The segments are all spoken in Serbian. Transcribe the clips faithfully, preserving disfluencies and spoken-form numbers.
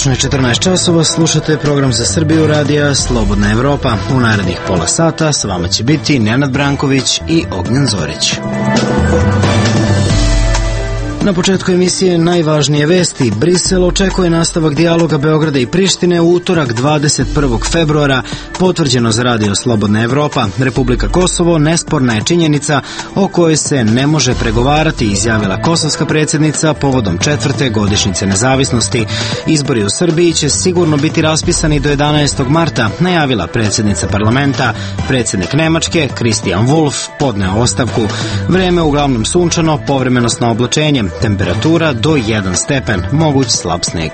Tačno je četrnaest časova, slušate program za Srbiju radija Slobodna Evropa. U narednih pola sata s vama će biti Nenad Branković i Ognjen Zorić. Na početku emisije najvažnije vesti. Brisel očekuje nastavak dijaloga Beograda i Prištine u utorak dvadeset prvog februara. Potvrđeno za radio Slobodna Evropa. Republika Kosovo nesporna je činjenica o kojoj se ne može pregovarati, izjavila kosovska predsjednica povodom četvrte godišnjice nezavisnosti. Izbori u Srbiji će sigurno biti raspisani do jedanaestog marta, najavila predsjednica parlamenta. Predsjednik Nemačke, Christian Wolff, podneo ostavku. Vreme uglavnom sunčano, povremeno s oblačenjem. Temperatura do jedan stepen, moguć slab sneg.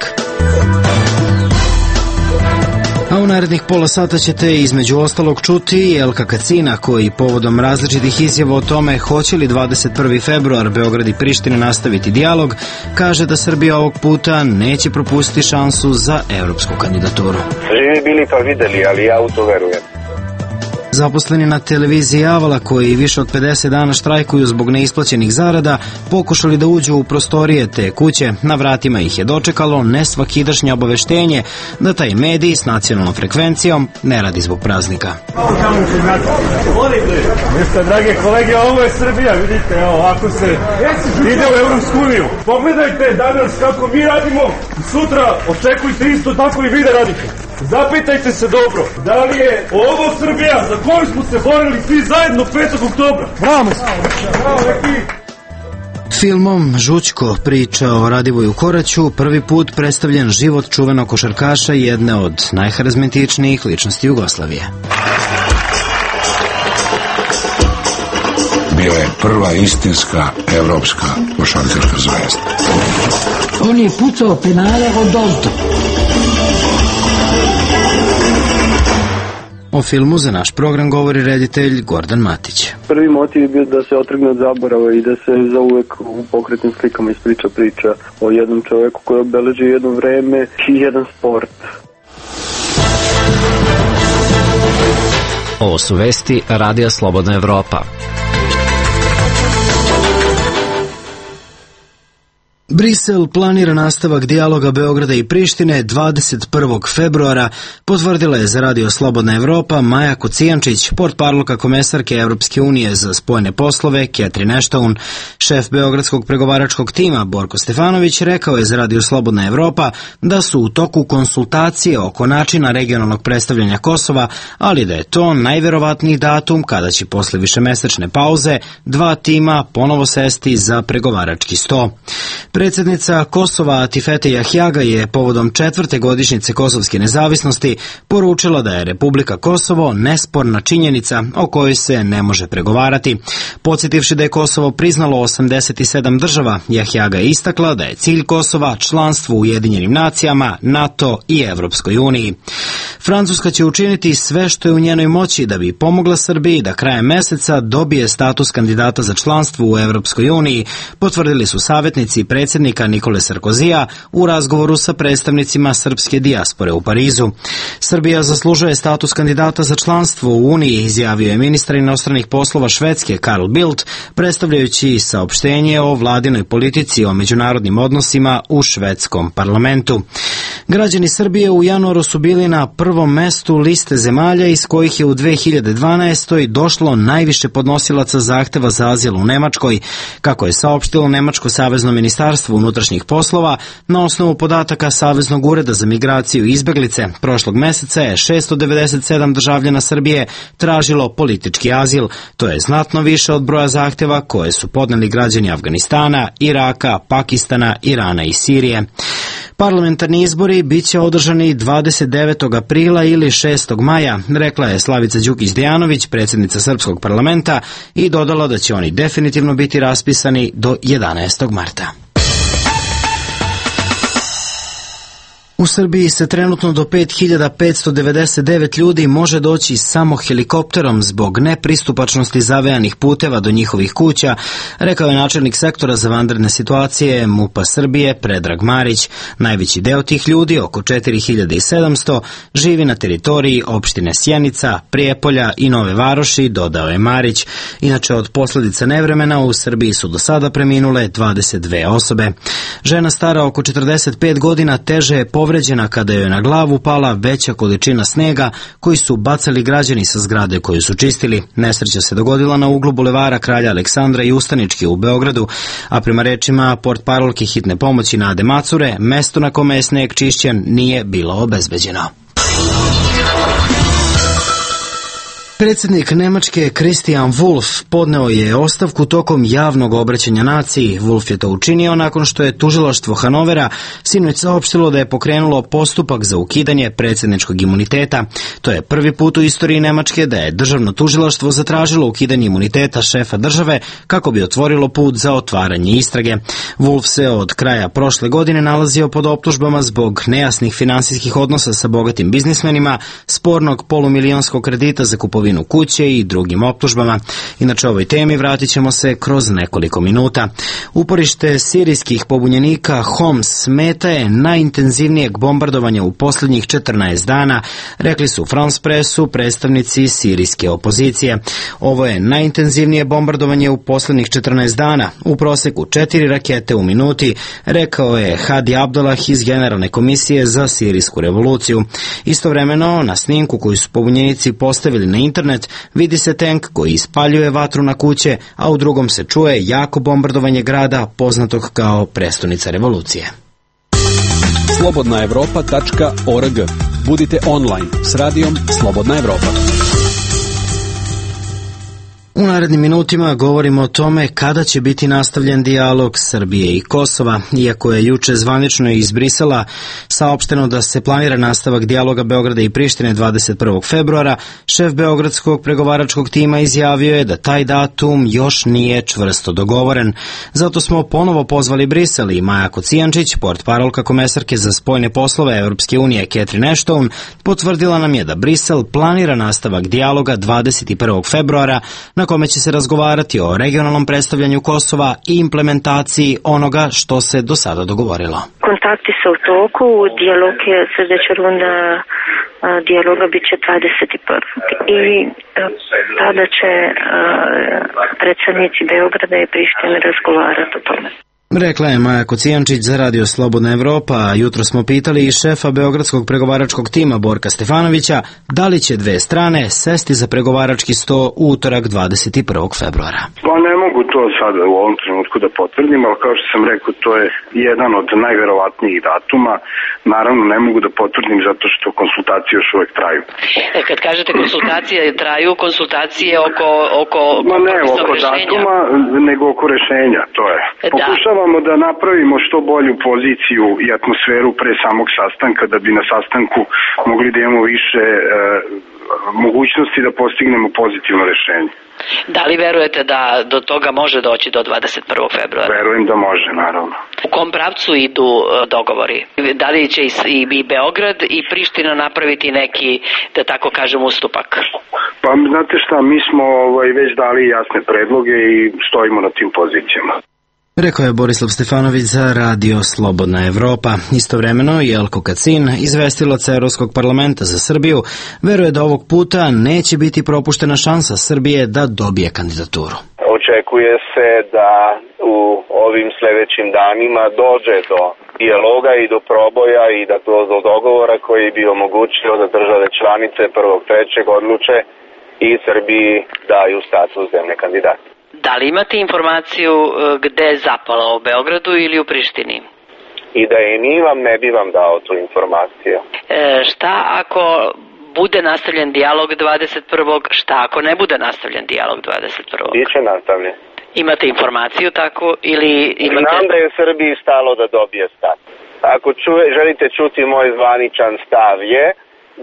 A u narednih pola sata ćete između ostalog čuti Elka Kacina, koji povodom različitih izjava o tome hoće li dvadeset prvi februar Beograd i Priština nastaviti dijalog, kaže da Srbija ovog puta neće propustiti šansu za evropsku kandidaturu. Živi bili pa videli, ali ja u to verujem. Zaposleni na televiziji Avala, koji više od pedeset dana štrajkuju zbog neisplaćenih zarada, pokušali da uđu u prostorije te kuće. Na vratima ih je dočekalo nesvakidašnje obaveštenje da taj medij s nacionalnom frekvencijom ne radi zbog praznika. Jeste, drage kolege, ovo je Srbija, vidite, evo, ako se ide u Evropsku uniju. Pogledajte danas kako mi radimo, sutra očekujte isto tako i vi da radite. Zapitajte se dobro, da li je ovo Srbija za koju smo se borili svi zajedno petog oktobra? Bravo! Bravo, neki! Filmom Žućko, priča o Radivoju Koraću, prvi put predstavljen život čuvenog košarkaša, jedne od najharizmatičnijih ličnosti Jugoslavije. Bio je prva istinska evropska košarkaška zvezda. On je pucao penale od Dolto. O filmu za naš program govori reditelj Gordan Matić. Prvi motiv je bio da se otrgne od zaborava i da se zauvek u pokretnim slikama ispriča priča o jednom čoveku koji obeleži jedno vreme i jedan sport. Ovo su vesti radija Slobodna Evropa. Brisel planira nastavak dijaloga Beograda i Prištine dvadeset prvog februara, potvrdila je za radio Slobodna Evropa Maja Kocijančić, portparolka komesarke Evropske unije za spoljne poslove Catherine Ashton. Šef beogradskog pregovaračkog tima Borko Stefanović rekao je za radio Slobodna Evropa da su u toku konsultacije oko načina regionalnog predstavljanja Kosova, ali da je to najverovatniji datum kada će posle višemesečne pauze dva tima ponovo sesti za pregovarački sto. Predsjednica Kosova Atifete Jahjaga je povodom četvrte godišnjice kosovske nezavisnosti poručila da je Republika Kosovo nesporna činjenica o kojoj se ne može pregovarati. Podsjetivši da je Kosovo priznalo osamdeset sedam država, Jahjaga je istakla da je cilj Kosova članstvo u Ujedinjenim nacijama, NATO i Evropskoj uniji. Francuska će učiniti sve što je u njenoj moći da bi pomogla Srbiji da krajem meseca dobije status kandidata za članstvo u Evropskoj uniji, potvrdili su savjetnici predsjednika Nikole Sarkozija u razgovoru sa predstavnicima srpske dijaspore u Parizu. Srbija zaslužuje status kandidata za članstvo u Uniji, izjavio je ministar inostranih poslova Švedske Carl Bildt, predstavljajući saopštenje o vladinoj politici o međunarodnim odnosima u švedskom parlamentu. Građani Srbije u januaru su bili na prvom mestu liste zemalja iz kojih je u dve hiljade dvanaestoj došlo najviše podnosilaca zahteva za azil u Nemačkoj, kako je saopštilo Nemačko savezno ministarstvo unutrašnjih poslova. Na osnovu podataka Saveznog ureda za migraciju i izbeglice, prošlog meseca je šesto devedeset sedam državljana Srbije tražilo politički azil. To je znatno više od broja zahteva koje su podneli građani Afganistana, Iraka, Pakistana, Irana i Sirije. Parlamentarni izbori biće održani dvadeset devetog aprila ili šestog maja, rekla je Slavica Đukić-Dejanović, predsjednica Srpskog parlamenta, i dodala da će oni definitivno biti raspisani do jedanaestog marta. U Srbiji se trenutno do pet hiljada petsto devedeset devet ljudi može doći samo helikopterom zbog nepristupačnosti zavejanih puteva do njihovih kuća, rekao je načelnik sektora za vanredne situacije MUP-a Srbije Predrag Marić. Najveći deo tih ljudi, oko četiri hiljade sedamsto, živi na teritoriji opštine Sjenica, Prijepolja i Nove Varoši, dodao je Marić. Inače, od posljedica nevremena u Srbiji su do sada preminule dvadeset dve osobe. Žena stara oko četrdeset pet godina teže je povredila povređena kada joj je na glavu pala veća količina snega koji su bacali građani sa zgrade koju su čistili. Nesreća se dogodila na uglu bulevara Kralja Aleksandra i Ustanički u Beogradu, a prema rečima portparolke hitne pomoći Nade Macure, mesto na kome je sneg čišćen nije bilo obezbeđeno. Predsjednik Nemačke Christian Wulff podneo je ostavku tokom javnog obraćanja naciji. Wulff je to učinio nakon što je tužilaštvo Hanovera sinoć saopštilo da je pokrenulo postupak za ukidanje predsjedničkog imuniteta. To je prvi put u istoriji Nemačke da je državno tužilaštvo zatražilo ukidanje imuniteta šefa države kako bi otvorilo put za otvaranje istrage. Wulff se od kraja prošle godine nalazio pod optužbama zbog nejasnih finansijskih odnosa sa bogatim biznismenima, spornog polumilijonskog kredita za kupovinu kuće i drugim optužbama. Inače, ovoj temi vratit ćemo se kroz nekoliko minuta. Uporište sirijskih pobunjenika Homs meta je najintenzivnijeg bombardovanja u posljednjih četrnaest dana, rekli su France Pressu predstavnici sirijske opozicije. Ovo je najintenzivnije bombardovanje u posljednjih četrnaest dana, u proseku četiri rakete u minuti, rekao je Hadi Abdullah iz Generalne komisije za sirijsku revoluciju. Istovremeno, na snimku koju su pobunjenici postavili na internet, vidi se tank koji ispaljuje vatru na kuće, a u drugom se čuje jako bombardovanje grada poznatog kao prestonica revolucije. slobodna evropa tačka org. Budite online s radijom Slobodna Evropa. U narednim minutima govorimo o tome kada će biti nastavljen dijalog Srbije i Kosova. Iako je juče zvanično iz Brisela saopšteno da se planira nastavak dijaloga Beograda i Prištine dvadeset prvog februara, šef beogradskog pregovaračkog tima izjavio je da taj datum još nije čvrsto dogovoren. Zato smo ponovo pozvali Brisel i Maja Kocijančić, portparolka komesarke za spoljne poslove Evropske unije Catherine Ashton, potvrdila nam je da Brisel planira nastavak dijaloga dvadeset prvog februara, na kome će se razgovarati o regionalnom predstavljanju Kosova i implementaciji onoga što se do sada dogovorilo. Kontakti su u toku, dijalog je, sljedeća runda dijaloga bit će dvadeset prvog i tada će predsjednici Beograda i Prištine razgovarati o tome. Rekla je Maja Kocijančić za Radio Slobodna Evropa, a jutro smo pitali i šefa beogradskog pregovaračkog tima Borka Stefanovića da li će dve strane sesti za pregovarački sto u utorak dvadeset prvog februara. Pa ne mogu to sada u ovom trenutku da potvrdim, ali kao što sam rekao, to je jedan od najverovatnijih datuma. Naravno ne mogu da potvrdim zato što konsultacije još uvek traju. E, kad kažete konsultacije traju, konsultacije oko, oko, oko Ma ne, oko rešenja. Datuma, nego oko rešenja, to je. Da. Pokušavamo da napravimo što bolju poziciju i atmosferu pre samog sastanka, da bi na sastanku mogli da imamo više e, mogućnosti da postignemo pozitivno rešenje. Da li verujete da do toga može doći do dvadeset prvog februara? Verujem da može, naravno. U kom pravcu idu dogovori? Da li će i Beograd i Priština napraviti neki, da tako kažem, ustupak? Pa znate šta, mi smo ovaj, već dali jasne predloge i stojimo na tim pozicijama. Rekao je Borislav Stefanović za Radio Slobodna Evropa. Istovremeno Jelko Kacin, izvestilac Evropskog parlamenta za Srbiju, veruje da ovog puta neće biti propuštena šansa Srbije da dobije kandidaturu. Očekuje se da u ovim sljedećim danima dođe do dijaloga i do proboja i da do dogovora koji bi omogućio da države članice prvog trećeg odluče i Srbiji daju status zemlje kandidata. Da li imate informaciju gde je zapala, u Beogradu ili u Prištini? I da je nimam, ne bi vam dao tu informaciju. E, šta ako bude nastavljen dijalog dvadeset prvog, šta ako ne bude nastavljen dijalog dvadeset prvog? Biće nastavljen. Imate informaciju takvu ili imate... Znam da je Srbiji stalo da dobije stav. Ako čuje, želite čuti moj zvaničan stav je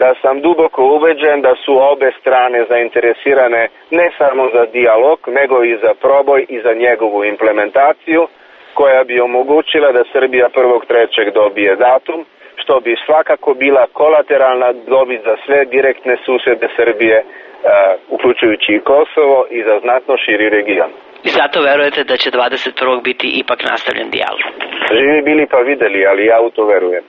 da sam duboko ubeđen da su obe strane zainteresirane ne samo za dijalog, nego i za proboj i za njegovu implementaciju, koja bi omogućila da Srbija prvog trećeg dobije datum, što bi svakako bila kolateralna dobit za sve direktne susede Srbije, uh, uključujući i Kosovo i za znatno širi region. I zato verujete da će dvadeset prvog biti ipak nastavljen dijalog? Živi bili pa videli, ali ja u to verujem.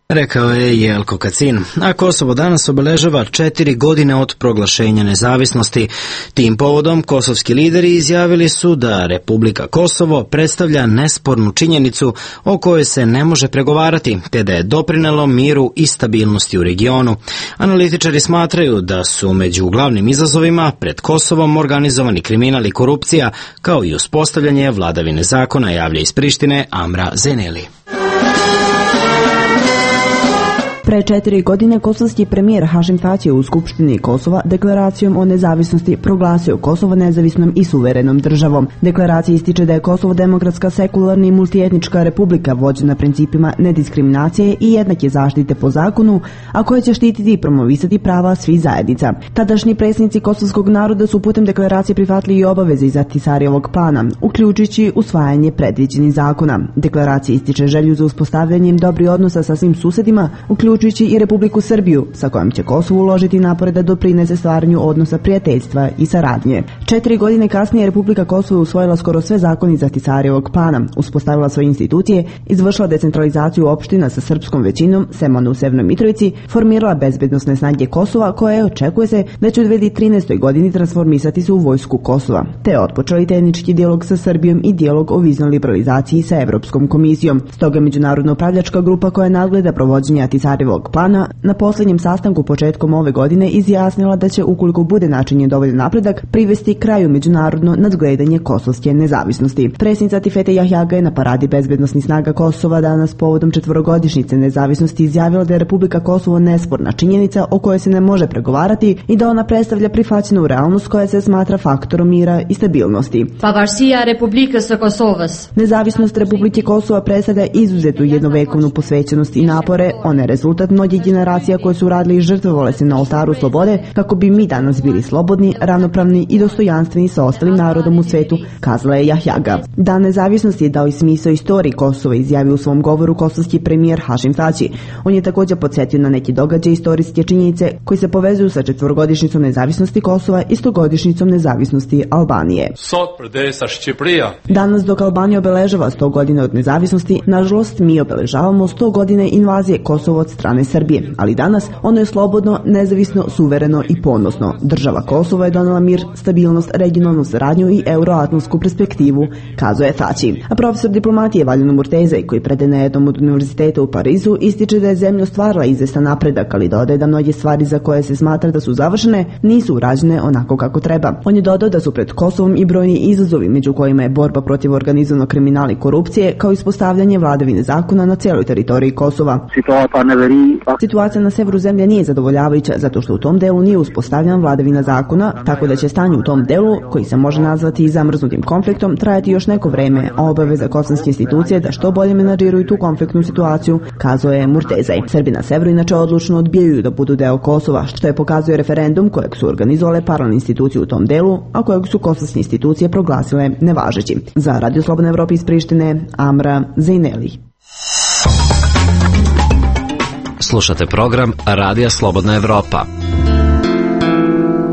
Rekao je Jelko Kacin, a Kosovo danas obeležava četiri godine od proglašenja nezavisnosti. Tim povodom kosovski lideri izjavili su da Republika Kosovo predstavlja nespornu činjenicu o kojoj se ne može pregovarati, te da je doprinelo miru i stabilnosti u regionu. Analitičari smatraju da su među glavnim izazovima pred Kosovom organizovani kriminal i korupcija, kao i uspostavljanje vladavine zakona, javlja iz Prištine Amra Zeneli. Pre četiri godine kosovski premijer Hašim Tači u Skupštini Kosova deklaracijom o nezavisnosti proglasio Kosovo nezavisnom i suverenom državom. Deklaracija ističe da je Kosovo demokratska, sekularna i multietnička republika vođena principima nediskriminacije i jednake zaštite po zakonu, a koja će štititi i promovisati prava svih zajednica. Tadašnji predsjednici kosovskog naroda su putem deklaracije prihvatili i obaveze iz Ahtisarijevog plana, uključujući usvajanje predviđenih zakona. Deklaracija ističe želju za uspostavljanjem dobrih odnosa sa svim susedima, uključujući i Republiku Srbiju, sa kojom će Kosovo uložiti napore da doprinese stvaranju odnosa prijateljstva i saradnje. Četiri godine kasnije Republika Kosovo je usvojila skoro sve zakone iz Ahtisarijevog plana, uspostavila svoje institucije, izvršila decentralizaciju opština sa srpskom većinom, sem one u Severnoj Mitrovici, formirala bezbednosne snage Kosova, koje očekuje se da će u dve hiljade trinaestoj. godini transformisati se u vojsku Kosova, te otpočeli tehnički dijalog sa Srbijom i dijalog o viznoj liberalizaciji sa Evropskom komisijom. Stoga međunarodna upravljačka grupa koja nadgleda provođenje Ahtisarijevog plana na posljednjem sastanku početkom ove godine izjasnila da će, ukoliko bude načinjen dovoljan napredak, privesti kraju međunarodno nadgledanje kosovske nezavisnosti. Predsjednica Tifete Jahjaga je na paradi bezbednosnih snaga Kosova danas povodom četvorogodišnjice nezavisnosti izjavila da je Republika Kosovo nesporna činjenica o kojoj se ne može pregovarati i da ona predstavlja prihvaćenu realnost koja se smatra faktorom mira i stabilnosti. Pavarësia e Republikës së Kosovës. Nezavisnost Republike Kosova predstavlja izuzetu jednovekovnu posvećenost i napore, ona je rezultat mnogih generacija koje su radili i žrtvovale se na oltaru slobode kako bi mi danas bili slobodni, ravnopravni i dostojanstveni sa ostalim narodom u svetu, kazala je Jahjaga. Dan nezavisnosti je dao i smisao istoriji Kosova, izjavio u svom govoru kosovski premijer Hašim Tači. On je također podsjetio na neki događaj istorijske činjenice koji se povezuju sa četvorogodišnjicom nezavisnosti Kosova i stogodišnjicom nezavisnosti Albanije. Danas dok Albanija obeležava sto godina od nezavisnosti, nažalost mi obeležavamo sto godine invazije Kosova od strane Srbije, ali danas ono je slobodno, nezavisno, suvereno i ponosno. Država Kosovo je donela mir, stabilnost, regionalnu saradnju i euroatlantsku perspektivu, kazuje Tači. A profesor diplomatije Valjano Murtezaj, koji predaje na jednom od univerziteta u Parizu, ističe da je zemlja ostvarila izvestan napredak, ali dodaje da mnoge stvari za koje se smatra da su završene nisu urađene onako kako treba. On je dodao da su pred Kosovom i brojni izazovi, među kojima je borba protiv organizovanog kriminala i korupcije, kao ispostavljanje vladavine zakona na cijeloj teritoriji Kosova. Situacija na severu zemlje nije zadovoljavajuća zato što u tom delu nije uspostavljena vladavina zakona, tako da će stanje u tom delu, koji se može nazvati i zamrznutim konfliktom, trajati još neko vreme, a obaveza kosovske institucije da što bolje menadžiruju tu konfliktnu situaciju, kazuje je Murtezaj. Srbi na severu inače odlučno odbijaju da budu deo Kosova, što je pokazuje referendum kojeg su organizovale paralelne institucije u tom delu, a kojeg su kosovske institucije proglasile nevažeći. Za Radio Slobodna Evropa iz Prištine, Amra Zeneli. Slušate program Radija Slobodna Evropa.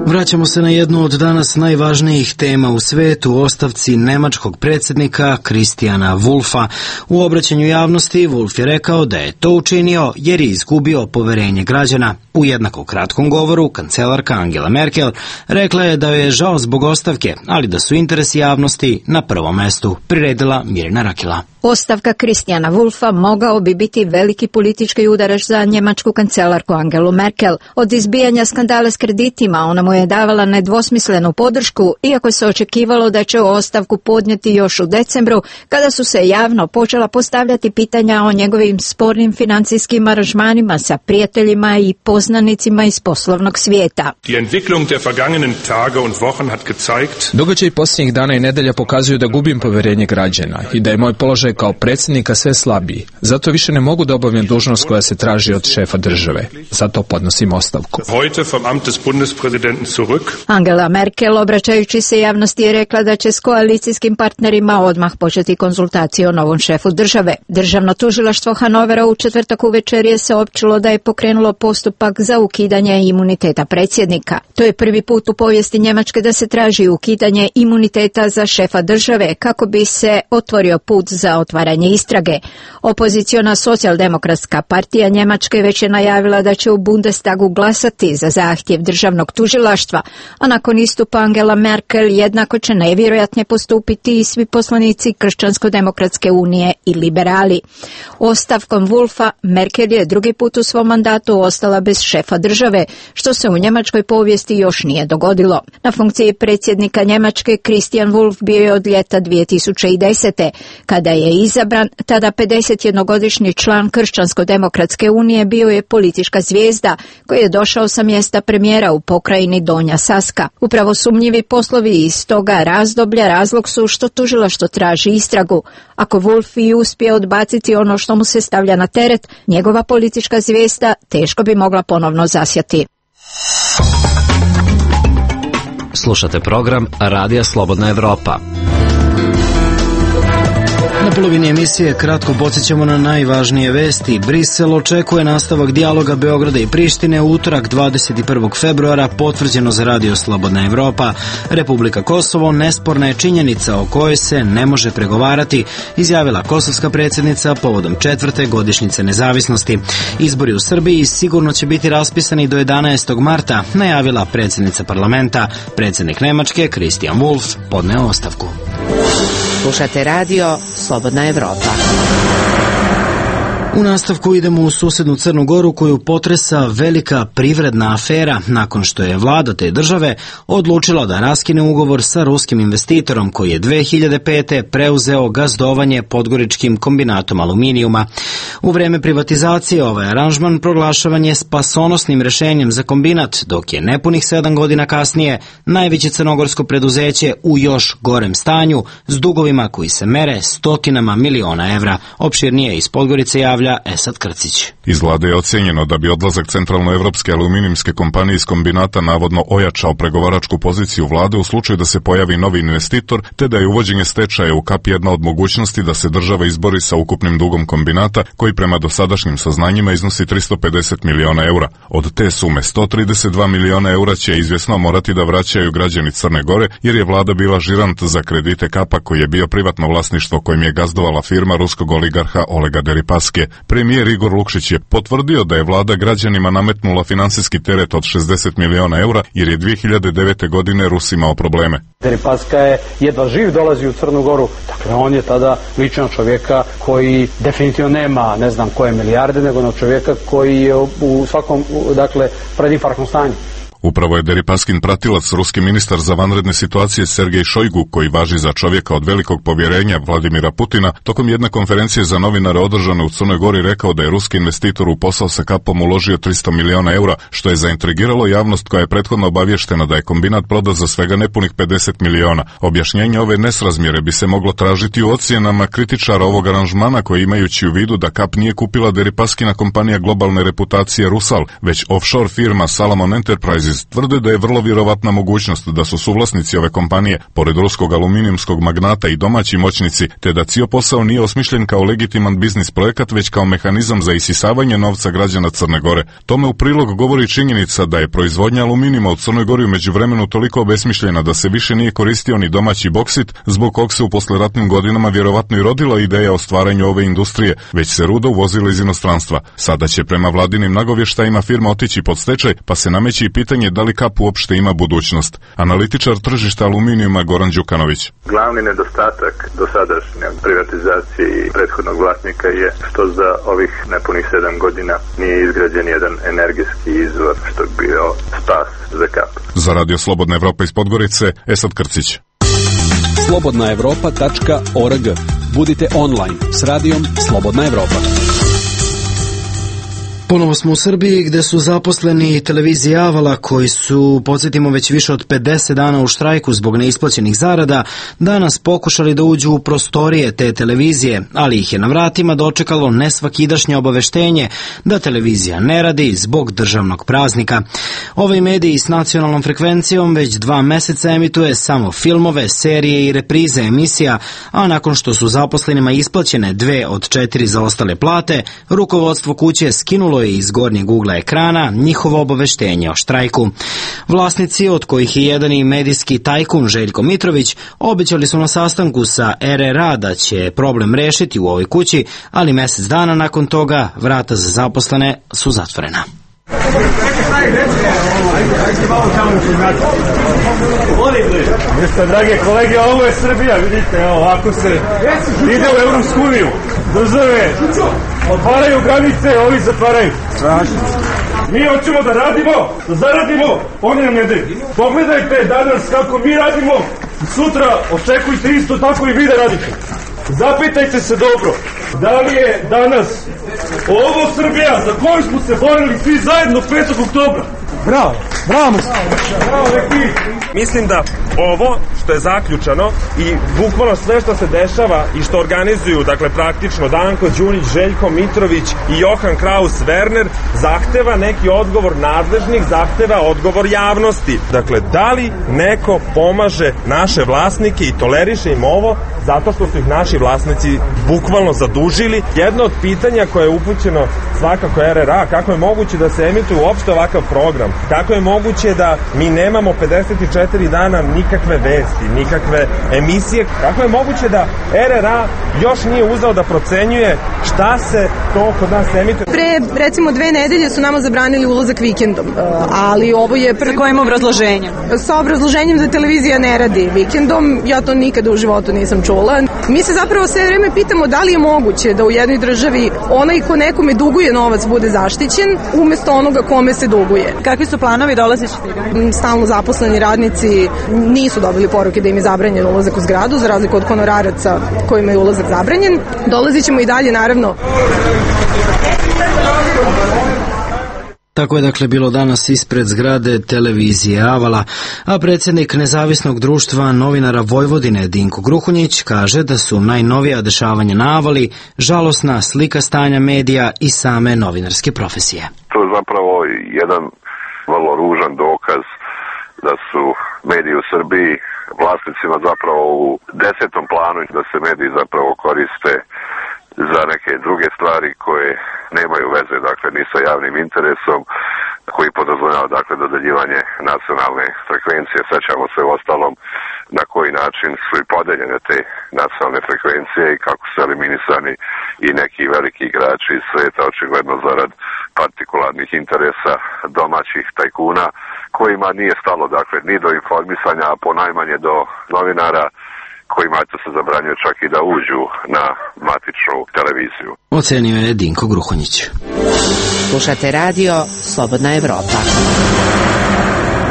Vraćamo se na jednu od danas najvažnijih tema u svetu, ostavci nemačkog predsjednika Christiana Wulffa. U obraćanju javnosti Wulff je rekao da je to učinio jer je izgubio poverenje građana. U jednako kratkom govoru kancelarka Angela Merkel rekla je da joj je žao zbog ostavke, ali da su interesi javnosti na prvom mestu, priredila Mirjana Rakila. Ostavka Christiana Wulffa mogao bi biti veliki politički udarac za njemačku kancelarku Angelu Merkel. Od izbijanja skandala s kreditima ona mu je davala nedvosmislenu podršku, iako se očekivalo da će ostavku podnijeti još u decembru, kada su se javno počela postavljati pitanja o njegovim spornim financijskim aranžmanima sa prijateljima i poznanicima iz poslovnog svijeta. Događaj posljednjih dana i nedelja pokazuju da gubim poverenje građana i da je moj položaj kao predsjednika sve slabiji. Zato više ne mogu da obavljam dužnost koja se traži od šefa države. Zato podnosim ostavku. Angela Merkel, obraćajući se javnosti, je rekla da će s koalicijskim partnerima odmah početi konzultacije o novom šefu države. Državno tužilaštvo Hanovera u četvrtak uvečer je saopćilo da je pokrenulo postupak za ukidanje imuniteta predsjednika. To je prvi put u povijesti Njemačke da se traži ukidanje imuniteta za šefa države kako bi se otvorio put za otvaranje istrage. Opoziciona socijaldemokratska partija Njemačke već je najavila da će u Bundestagu glasati za zahtjev državnog tužilaštva, a nakon istupa Angela Merkel jednako će najvjerojatnije postupiti i svi poslanici Kršćansko-demokratske unije i liberali. Ostavkom Wolfa Merkel je drugi put u svom mandatu ostala bez šefa države, što se u njemačkoj povijesti još nije dogodilo. Na funkciji predsjednika Njemačke Christian Wulff bio je od ljeta dvije tisuće desete. Kada je izabran, tada pedesetjednogodišnji član Kršćansko-demokratske unije bio je politička zvijezda koji je došao sa mjesta premijera u pokrajini Donja Saska. Upravo sumnjivi poslovi iz toga razdoblja razlog su što tužilaštvo traži istragu. Ako Wulff i uspije odbaciti ono što mu se stavlja na teret, njegova politička zvijezda teško bi mogla ponovno zasjati. Slušate program Radija Slobodna Evropa. Na polovini emisije kratko podsjećamo na najvažnije vesti. Brisel očekuje nastavak dijaloga Beograda i Prištine u utorak dvadeset prvog februara, potvrđeno za Radio Slobodna Evropa. Republika Kosovo nesporna je činjenica o kojoj se ne može pregovarati, izjavila kosovska predsjednica povodom četvrte godišnjice nezavisnosti. Izbori u Srbiji sigurno će biti raspisani do jedanaestog marta, najavila predsjednica parlamenta. Predsjednik Nemačke Christian Wulff podneo ostavku. Slušate radio Slobodna Evropa. U nastavku idemo u susednu Crnu Goru koju potresa velika privredna afera nakon što je vlada te države odlučila da raskine ugovor sa ruskim investitorom koji je dve hiljade pete preuzeo gazdovanje podgoričkim kombinatom aluminijuma. U vreme privatizacije ovaj aranžman proglašavan je spasonosnim rešenjem za kombinat, dok je nepunih sedam godina kasnije najveće crnogorsko preduzeće u još gorem stanju s dugovima koji se mere stotinama miliona evra. Opširnije iz Podgorice javlja Esad Krcić. Iz vlade je ocjenjeno da bi odlazak centralnoevropske aluminijumske kompanije iz kombinata navodno ojačao pregovaračku poziciju vlade u slučaju da se pojavi novi investitor, te da je uvođenje stečaja u kap jedna od mogućnosti da se država izbori sa ukupnim dugom kombinata, koji prema dosadašnjim saznanjima iznosi tristo pedeset miliona eura. Od te sume sto trideset dva miliona eura će izvjesno morati da vraćaju građani Crne Gore, jer je vlada bila žirant za kredite kapa koji je bio privatno vlasništvo kojim je gazdovala firma ruskog oligarha Olega Deripaske. Premijer Igor Lukšić je potvrdio da je vlada građanima nametnula finansijski teret od šezdeset miliona eura jer je dve hiljade devete. godine Rus imao probleme. Deripaska je jedva živ dolazi u Crnu Goru, dakle on je tada ličan čovjeka koji definitivno nema ne znam koje milijarde, nego na čovjeka koji je u svakom, dakle, predinfarktnom stanju. Upravo je Deripaskin pratilac, ruski ministar za vanredne situacije Sergej Šojgu, koji važi za čovjeka od velikog povjerenja Vladimira Putina, tokom jedne konferencije za novinare održane u Crnoj Gori rekao da je ruski investitor u posao sa kapom uložio tristo miliona eura, što je zaintrigiralo javnost koja je prethodno obavještena da je kombinat prodat za svega nepunih pedeset miliona. Objašnjenje ove nesrazmjere bi se moglo tražiti u ocjenama kritičara ovog aranžmana, koji imajući u vidu da kap nije kupila Deripaskina kompanija globalne reputacije Rusal, već offshore firma Salomon Enterprises, tvrde da je vrlo vjerovatna mogućnost da su suvlasnici ove kompanije, pored ruskog aluminijumskog magnata, i domaći moćnici, te da cijel posao nije osmišljen kao legitiman biznis projekat, već kao mehanizam za isisavanje novca građana Crne Gore. Tome u prilog govori činjenica da je proizvodnja aluminijuma u Crnoj Gori u međuvremenu toliko obesmišljena da se više nije koristio ni domaći boksit, zbog kog se u posleratnim godinama vjerovatno i rodila ideja o stvaranju ove industrije, već se ruda uvozila iz inostranstva. Sada će prema vladinim nagovještajima firma otići pod stečaj, pa se nameće i pitanje da li kap uopšte ima budućnost. Analitičar tržišta aluminijuma Goran Đukanović. Glavni nedostatak dosadašnje privatizacije i prethodnog vlasnika je što za ovih nepunih sedam godina nije izgrađen jedan energijski izvor, što bi bio spas za kap. Za Radio Slobodna Evropa iz Podgorice, Esad Krcić. slobodna evropa tačka org. Budite online s radijom Slobodna Evropa. Ponovo smo u Srbiji gdje su zaposleni televizije Avala koji su, podsjetimo, već više od pedeset dana u štrajku zbog neisplaćenih zarada, danas pokušali da uđu u prostorije te televizije, ali ih je na vratima dočekalo nesvakidašnje obaveštenje da televizija ne radi zbog državnog praznika. Ovaj medij s nacionalnom frekvencijom već dva meseca emituje samo filmove, serije i reprize emisija, a nakon što su zaposlenima isplaćene dve od četiri zaostale plate, rukovodstvo kuće skinulo je iz gornjeg ugla ekrana njihovo obaveštenje o štrajku. Vlasnici, od kojih je jedan i medijski tajkun Željko Mitrović, obećali su na sastanku sa R R A da će problem rešiti u ovoj kući, ali mesec dana nakon toga vrata za zaposlene su zatvorena. Jeste, drage kolege, ovo je Srbija, vidite, evo, ako se ide u Evropsku uniju, države otvaraju granice, ovi zatvaraju. Mi hoćemo da radimo, da zaradimo, oni nam ne daju. Pogledajte danas kako mi radimo, sutra očekujte isto tako i vi da radite. Zapitajte se dobro, da li je danas ovo Srbija za koju smo se borili svi zajedno petog oktobra? Bravo, bravo, bravo, neki. Mislim da ovo što je zaključano i bukvalno sve što se dešava i što organizuju, dakle praktično Danko Đunić, Željko Mitrović i Johan Kraus Werner, zahteva neki odgovor nadležnih, zahteva odgovor javnosti. Dakle, da li neko pomaže naše vlasnike i toleriše im ovo zato što su ih naši vlasnici bukvalno zadužili? Jedno od pitanja koje je upućeno svakako R R A, kako je moguće da se emituje uopšte ovakav program? Kako je moguće da mi nemamo pedeset četiri dana nikakve vesti, nikakve emisije? Kako je moguće da R R A još nije uzeo da procenjuje šta se to kod nas emituje? Pre, recimo, dve nedelje su nama zabranili ulazak vikendom, ali ovo je... Pre... Sa kojim obrazloženjem? Sa obrazloženjem da televizija ne radi vikendom, ja to nikada u životu nisam čula. Mi se zapravo sve vreme pitamo da li je moguće da u jednoj državi onaj ko nekome duguje novac bude zaštićen umesto onoga kome se duguje. Kakvi su planovi, dolazići? Stalno zaposleni radnici nisu dobili poruke da im je zabranjen ulazak u zgradu, za razliku od honoraraca kojima je ulazak zabranjen. Dolazit ćemo i dalje, naravno. Tako je dakle bilo danas ispred zgrade televizije Avala, a predsjednik Nezavisnog društva novinara Vojvodine Dinko Gruhunjić kaže da su najnovija dešavanja na Avali žalosna slika stanja medija i same novinarske profesije. To je zapravo jedan vrlo ružan dokaz da su mediji u Srbiji vlasnicima zapravo u desetom planu, da se mediji zapravo koriste za neke druge stvari koje nemaju veze, dakle, ni sa javnim interesom, koji podrazumijeva, dakle, dodeljivanje nacionalne frekvencije. Sećamo se u ostalom na koji način su i podeljene te nacionalne frekvencije i kako su eliminisani i neki veliki igrači iz sveta, očigledno zarad partikularnih interesa domaćih tajkuna, kojima nije stalo, dakle, ni do informisanja, a ponajmanje do novinara, kojima se zabranjuje čak i da uđu na matičnu televiziju. Ocenio je Dinko Gruhonjić. Slušate radio Slobodna Evropa.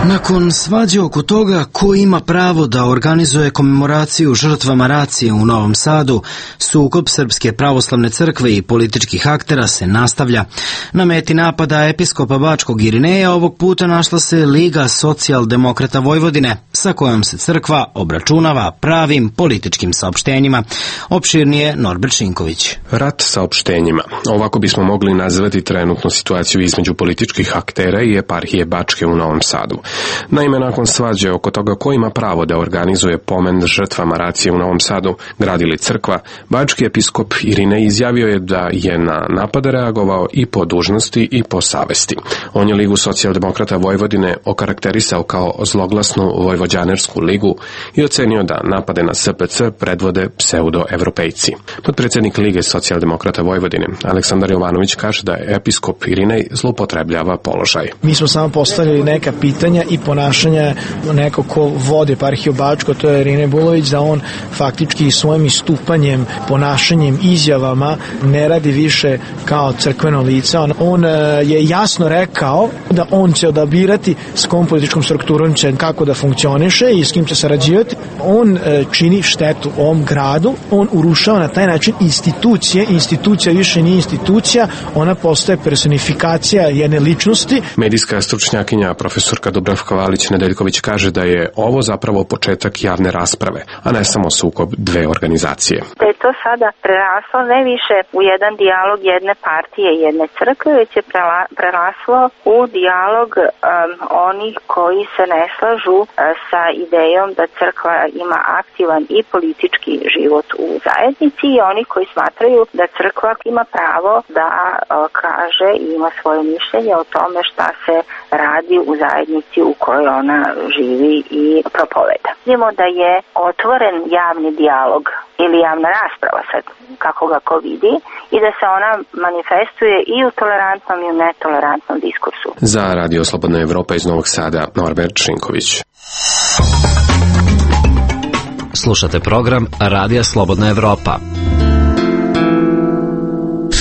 Nakon svađe oko toga ko ima pravo da organizuje komemoraciju žrtvama racije u Novom Sadu, sukob Srpske pravoslavne crkve i političkih aktera se nastavlja. Na meti napada episkopa Bačkog Irineja ovog puta našla se Liga socijaldemokrata Vojvodine, sa kojom se crkva obračunava pravim političkim saopštenjima. Opširnije Norbert Šinković. Rat saopštenjima. Ovako bismo mogli nazvati trenutnu situaciju između političkih aktera i eparhije Bačke u Novom Sadu. Naime, nakon svađe oko toga ko ima pravo da organizuje pomen žrtvama racije u Novom Sadu, grad ili crkva, bački episkop Irinej izjavio je da je na napade reagovao i po dužnosti i po savesti. On je Ligu socijaldemokrata Vojvodine okarakterisao kao zloglasnu vojvođanersku ligu i ocenio da napade na S P C predvode pseudo-evropejci. Podpredsjednik Lige socijaldemokrata Vojvodine, Aleksandar Jovanović, kaže da episkop Irinej zloupotrebljava položaj. Mi smo samo postavili neka pitanja i ponašanja neko ko vodi eparhiju Bačko, to je Irinej Bulović, da on faktički svojim istupanjem, ponašanjem, izjavama ne radi više kao crkveno lice. On, on je jasno rekao da on će odabirati s kom političkom strukturom će kako da funkcioniše i s kim će sarađivati. On čini štetu ovom gradu, on urušava na taj način institucije, institucija više nije institucija, ona postaje personifikacija jedne ličnosti. Medijska stručnjakinja profesorka Dubravka Valić-Nedeljković kaže da je ovo zapravo početak javne rasprave, a ne samo sukob dve organizacije. Da je to sada preraslo ne više u jedan dijalog jedne partije i jedne crkve, već je preraslo u dijalog um, onih koji se ne slažu uh, sa idejom da crkva ima aktivan i politički život u zajednici i oni koji smatraju da crkva ima pravo da uh, kaže i ima svoje mišljenje o tome šta se radi u zajednici u kojoj ona živi i propoveda. Vidimo da je otvoren javni dijalog ili javna rasprava, sad kako ga ko vidi, i da se ona manifestuje i u tolerantnom i u netolerantnom diskursu. Za Radio Slobodna Evropa iz Novog Sada, Norbert Šinković. Slušate program Radija Slobodna Evropa.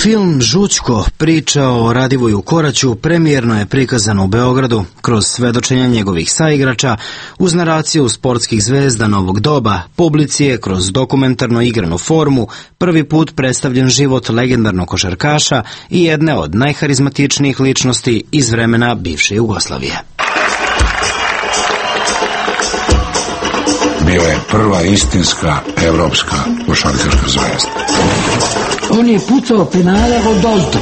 Film Žućko, priča o Radivoju Koraću, premijerno je prikazan u Beogradu kroz svedočenja njegovih saigrača, uz naraciju sportskih zvezda novog doba, publici je kroz dokumentarno igranu formu prvi put predstavljen život legendarnog košarkaša i jedne od najharizmatičnijih ličnosti iz vremena bivše Jugoslavije. Bio je prva istinska evropska košarkaška zvezda. On je pucao penale od Dolto.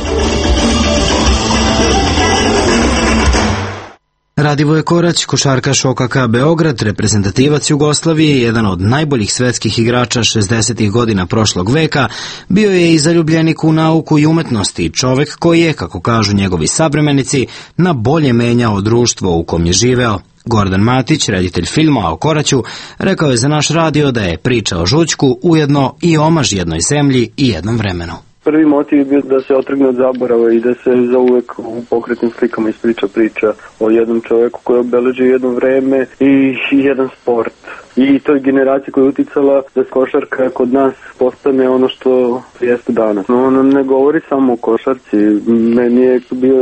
Radivoje Korać, košarkaš O K K Beograd, reprezentativac Jugoslavije, jedan od najboljih svetskih igrača šezdesetih godina prošlog veka, bio je i zaljubljenik u nauku i umetnosti, čovek koji je, kako kažu njegovi savremenici, na bolje menjao društvo u kom je živeo. Gordan Matić, reditelj filma o Koraću, rekao je za naš radio da je priča o Žućku ujedno i omaž jednoj zemlji i jednom vremenu. Prvi motiv je bio da se otrgne od zaborava i da se zauvek u pokretnim slikama ispriča priča o jednom čoveku koji obeleži jedno vreme i jedan sport. I toj generaciji koja je uticala da košarka kod nas postane ono što jeste danas. No, ono ne govori samo o košarci. Meni je bio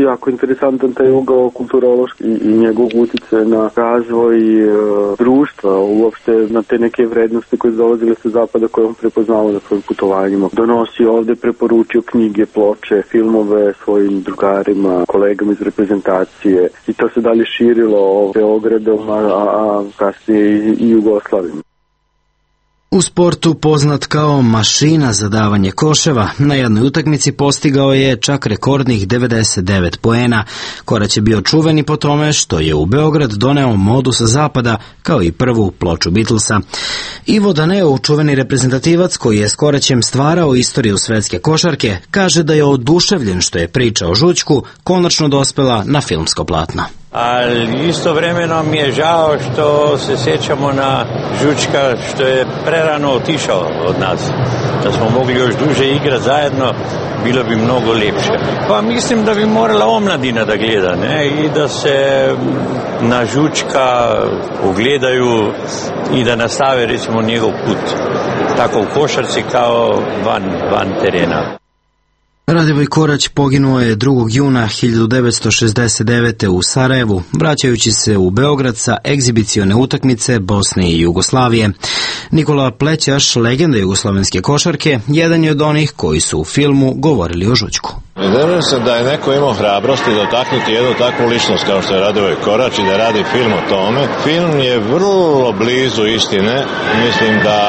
jako interesantan taj ugao kulturološki i njegov utice na razvoj e, društva, uopšte na te neke vrednosti koje dolazile sa zapada koje on prepoznao na svojim putovanjima. Donosi ovde, preporučio knjige, ploče, filmove svojim drugarima, kolegama iz reprezentacije i to se dalje širilo Beogradom, a, a kasnije i, i Jugoslavijom. U sportu poznat kao mašina za davanje koševa, na jednoj utakmici postigao je čak rekordnih devedeset devet poena. Korać je bio čuveni po tome što je u Beograd doneo modu sa zapada, kao i prvu ploču Beatlesa. Ivo Daneo, čuveni reprezentativac koji je s Koraćem stvarao istoriju svetske košarke, kaže da je oduševljen što je priča o Žućku konačno dospela na filmsko platno. Ali istovremeno mi je žao što se sjećamo na Žućka što je prerano otišao od nas. Da smo mogli još duže igrati zajedno, bilo bi mnogo lepše. Pa mislim da bi morala omladina da gleda, ne? I da se na Žućka ugledaju i da nastave recimo njegov put tako u košarci kao van, van terena. Radivoj Korać poginuo je drugog juna hiljadu devetsto šezdeset devete u Sarajevu, vraćajući se u Beograd sa egzibicione utakmice Bosne i Jugoslavije. Nikola Plećaš, legenda jugoslovenske košarke, jedan je od onih koji su u filmu govorili o Žućku. Vjerujem se da je neko imao hrabrosti dotaknuti jednu takvu ličnost kao što je Radivoj Korać i da radi film o tome. Film je vrlo blizu istine. Mislim da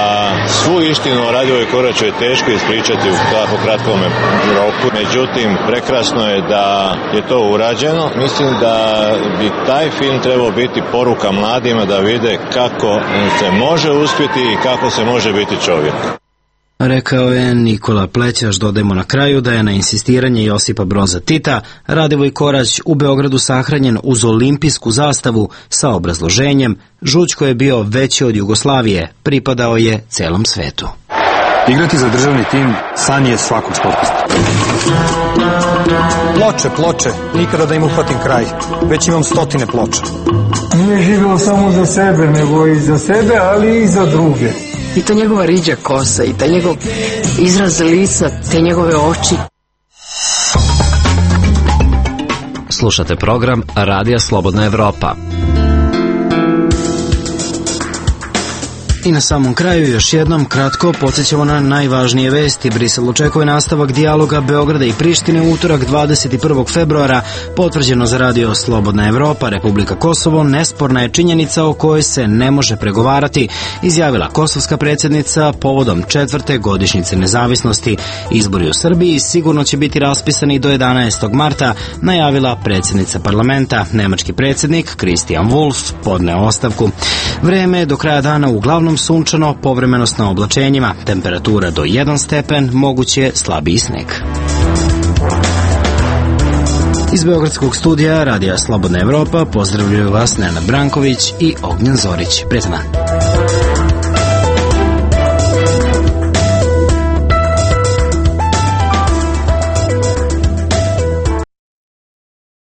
svu istinu o Radivoj Koraću je teško ispričati u tako kratkom roku. Međutim, prekrasno je da je to urađeno. Mislim da bi taj film trebao biti poruka mladima da vide kako se može uspjeti i kako se može biti čovjek. Rekao je Nikola Plećaš. Dodajmo na kraju da je na insistiranje Josipa Broza Tita Radivoj Korać u Beogradu sahranjen uz olimpijsku zastavu sa obrazloženjem: Žućko je bio veći od Jugoslavije, pripadao je celom svetu. Igrati za državni tim san je svakog sportista. Ploče, ploče, nikada da im uhvatim kraj. Već imam stotine ploča. Nije živio samo za sebe, nego i za sebe, ali i za druge. I ta njegova riđa kosa, i ta njegov izraz lica, te njegove oči. Slušate program Radija Slobodna Evropa. I na samom kraju još jednom kratko podsjećamo na najvažnije vesti. Brisel očekuje nastavak dijaloga Beograda i Prištine u utorak dvadeset prvog februara. Potvrđeno za radio Slobodna Evropa, Republika Kosovo nesporna je činjenica o kojoj se ne može pregovarati, izjavila kosovska predsjednica povodom četvrte godišnjice nezavisnosti. Izbori u Srbiji sigurno će biti raspisani do jedanaestog marta, najavila predsjednica parlamenta. Nemački predsjednik Christian Wolff podneo ostavku. Vreme je do kraja dana uglavnom sunčano, povremeno s oblačenjima, temperatura do jedan stepen, moguće slabiji sneg. Iz beogradskog studija Radija Slobodna Evropa pozdravljaju vas Nenad Branković i Ognjen Zorić. Prijetan dan.